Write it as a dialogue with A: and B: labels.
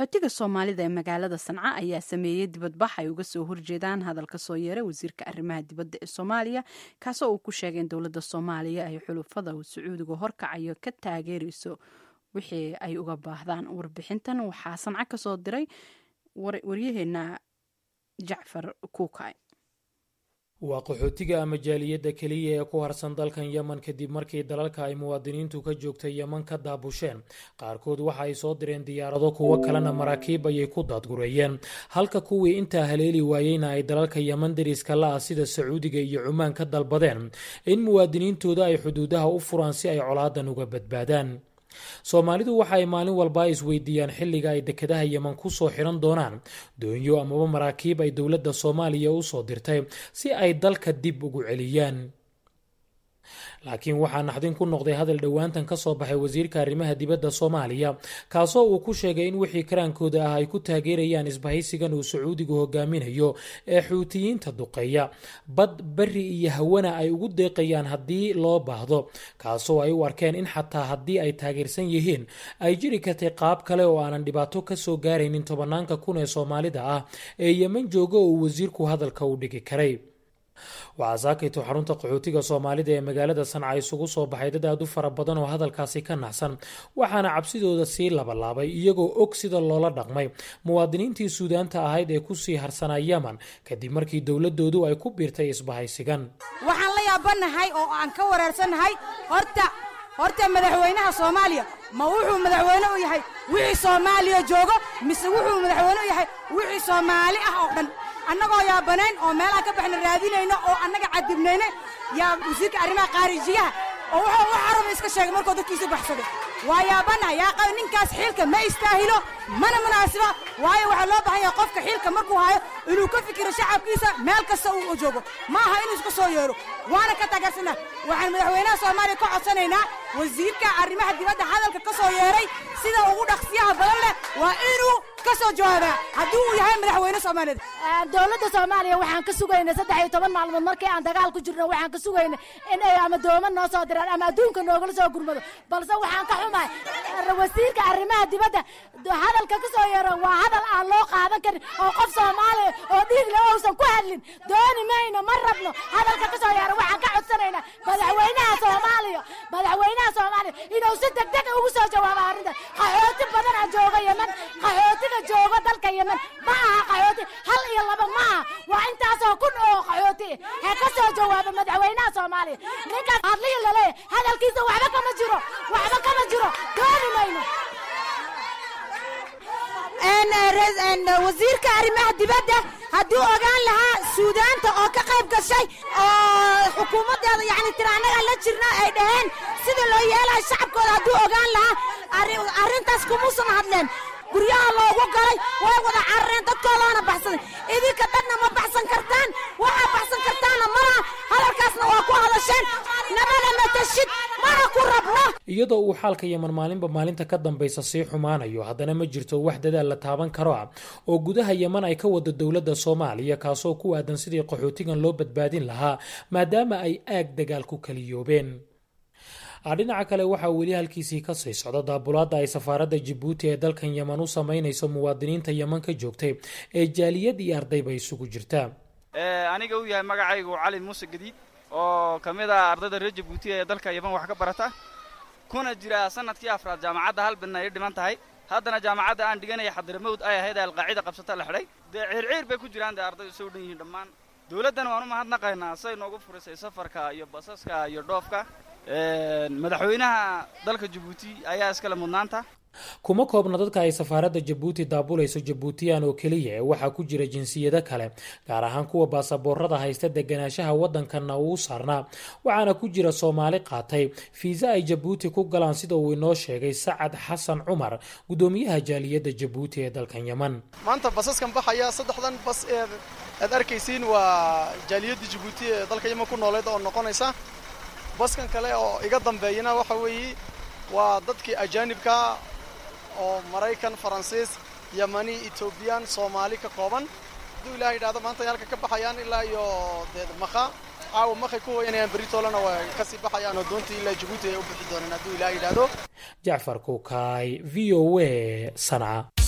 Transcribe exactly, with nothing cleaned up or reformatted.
A: Qaxootiga Soomaalida ee magaalada Sanca ayaa sameeyey dibadbax ay uga soo horjeedaan hadal ka soo yeeray wasiirka arrimaha dibadda ee Soomaaliya, kaasoo uu ku sheegay in dowladda Soomaaliya ay xulufada uu Sacuudiga horkacayo ka taageerayso wixii ay uga baahdaan. Warbixintan waxaa Sanca ka soo diray waryaheena Jacfar Kuukay.
B: Waa qaxootiga ama jaaliyadda keliya ee ku harsan dalkan Yemen kadib markii dalalka ay muwaadiniintu ka joogtay Yemen ka daabusheen. Qaarkood waxa ay soo direen diyaarado, kuwo kalena maraakiib ayay ku daadgureeyeen, halka kuwii intaa haleeli waayeyna ay dalalka Yemen dariska la ah sida Sacuudiga iyo Cumaan ka dalbadeen in muwaadiniintooda ay xuduudaha u furaan si ay colaadan uga badbaadaan. Soomaalidu waxa ay maalin walba isweydiiyaan xilliga ay dekedaha Yemen ku soo xiran doonaan doonyo amaba maraakiib ay dowladda Soomaaliya u soo dirtay si ay dalka dib ugu celiyaan. Laakiin waxaa naxdin ku noqday hadal dhowaantan ka soo baxay wasiirka arrimaha dibadda Soomaaliya, kaasoo uu ku sheegay in wixii karaankooda ah ay ku taageerayaan isbahaysigan uu Sacuudigu hogaaminayo ee Xuutiyiinta duqeeya, bad, beri iyo hawana ay ugu deeqayaan haddii loo baahdo, kaasoo ay u arkeen in xataa haddii ay taageersan yihiin ay jiri kartay qaab kale oo aanan dhibaato ka soo gaaraynin tobanaanka kun ee Soomaalida ah ee Yemen jooga oo uu wasiirku hadalka u dhigi karay. Waxaa saakayto xarunta qaxootiga Soomaalida ee magaalada Sanca isugu soo baxay dad aad u fara badan oo hadalkaasi ka naxsan, waxaana cabsidooda sii labalaabay iyagoo og sida loola dhaqmay muwaadiniintii Suudaanta ahayd ee kusii harsanaa Yemen kadib markii dowladoodu ay ku biirtay isbahaysigan.
C: Waxaan la yaabanahay oo aan ka wareersanahay, horta horta madaxweynaha Soomaaliya ma wuxuu madaxweyne u yahay wixii Soomaaliya joogo, mise wuxuu madaxweyne u yahay wixii Soomaali ah oo dhan? Annagoo yaabanayn oo meelaha ka baxna raadinayno oo annaga cadibnayne, yaa wasiirka arrimaha khaarijiyaha oo wuxuu wax caraba iska sheegay markuu dadkiisu baxsaday. Waa yaabanahay yaa qaba, ninkaas xilka ma istaahilo mana munaasiba, waayo waxaa loo baahan yahay qofka xilka markuu hayo inuu ka fikiro shacabkiisa meel kasta uu joogo, ma aha inuu iska soo yeero. Waana ka taageersanaa. Waxaan madaxweynaha Soomaaliya ka codsanaynaa wasiirka arrimaha dibadda hadalka ka soo yeeray sida ugu dhaqsiyaha badan leh waa inuu ka soo jawaabaa haddii uu yahay madaxweyne Soomaaliyeed.
D: Dowladda Soomaaliya waxaan ka sugaynay saddex iyo toban maalmood markii aan dagaal ku jirno, waxaan ka sugaynay in ay ama dooma noo soo diraan ama adduunka noogala soo gurmado, balse waxaan ka xumahay wasiirka arrimaha dibadda hadalka ka soo yeero waa hadal aan loo qaadan karin oo qof Soomaaliya oo dhiig leh uusan ku hadlin. Dooni mayno, ma rabno hadalka ka soo yeero. Waxaan ka codsanaynaa madaxweynaha Soomaaliya madaxweynaha Soomaaliya inuu si degdeg ugu soo jawaabo arrintan. Qaxooti badan aa jooga Yemen. Qaxootiga jooga dalka Yemen ma aha qaxooti hal iyo laba ma aha, waa intaasoo kun oo qaxooti. Ha ka soo jawaabo madaxweynaha Soomaaliya. Ninkaas hadlihi laleeyahay hadalkiisa waxba kama jiro, waxba kama jiro, dooni mayno.
C: Wasiirka arrimaha dibadda hadduu ogaan lahaa Suudaanta oo ka qayb gashay oo xukuumaddeeda yacni tira annagaa la jirna ay dhaheen sida loo yeelayo shacabkooda, hadduu ogaan lahaa arrintaas kumuusan hadleen. Guryaha loogu galay way wada carareen, dadkoodaana baxsaday. Idinka dhanna ma baxsan kartaan, waxaa baxsan kartaanna malaha. Hadalkaasna waa ku hadasheen, namana matashid, mana ku rabno.
B: Iyadoo uu xaalka Yeman maalinba maalinta ka dambaysa sii xumaanayo, haddana ma jirto wax dadaal la taaban karo ah oo gudaha Yeman ay ka wado dowladda Soomaaliya, kaasoo ku aadan sidii qaxootigan loo badbaadin lahaa maadaama ay aag dagaal ku kaliyoobeen. Dhinaca kale, waxaa weli halkiisii ka sii socda daabulaadda ay safaaradda Jabuuti ee dalkan Yeman u samaynayso muwaadiniinta Yeman ka joogtay ee jaaliyad iyo ardayba isugu jirta.
E: Aniga uu yahay magacaygu Cali Muuse Gadiid oo ka mid ah ardayda reer Jabuuti ee dalka Yeman wax ka barata, kuna jira sanadkii afraad jaamacadda, hal bilna ay dhiman tahay. Haddana jaamacadda aan dhiganaya Xadramawd ay ahayd Alqaacida qabsata la xidhay. Dee ciirciir bay ku jiraan, dee ardaydu soo dhan yihiin dhammaan. Dowladdana waan u mahadnaqaynaa say noogu furisay safarka iyo basaska iyo dhoofka. Madaxweynaha dalka Jabuuti ayaa iskale mudnaanta.
B: Kuma koobna dadka ay safaaradda Jabuuti daabulayso Jabuutiyaan oo keliya ee waxaa ku jira jinsiyado kale, gaar ahaan kuwa baasaboorada haysta deganaanshaha waddankanna uu saarnaa, waxaana ku jira Soomaali qaatay fiisa ay Jabuuti ku galaan, sida uu inoo sheegay Sacad Xasan Cumar, guddoomiyaha jaaliyadda Jabuuti ee dalkan Yeman.
F: Maanta basaskan baxaya, saddexdan bas ee aad arkaysiin, waa jaaliyadda Jabuuti ee dalka Yeman ku nooleed oo noqonaysa. Baskan kale oo iga dambeeyana waxa weeye waa dadkii ajaanibka oo Maraykan, Faransiis, Yemani, Etoobiyaan, Soomaali ka kooban. Hadduu Ilahay yidhahdo maanta ay halka ka baxayaan ilaa iyo dee Makha. Caawa Makhay ku hoyanayaan, beritoolena way kasii baxayaan oo doontii ilaa Jabuuti ay u bixi doonaan hadduu Ilahay yidhahdo.
B: Jacfar Kukaay, V O A, Sanca.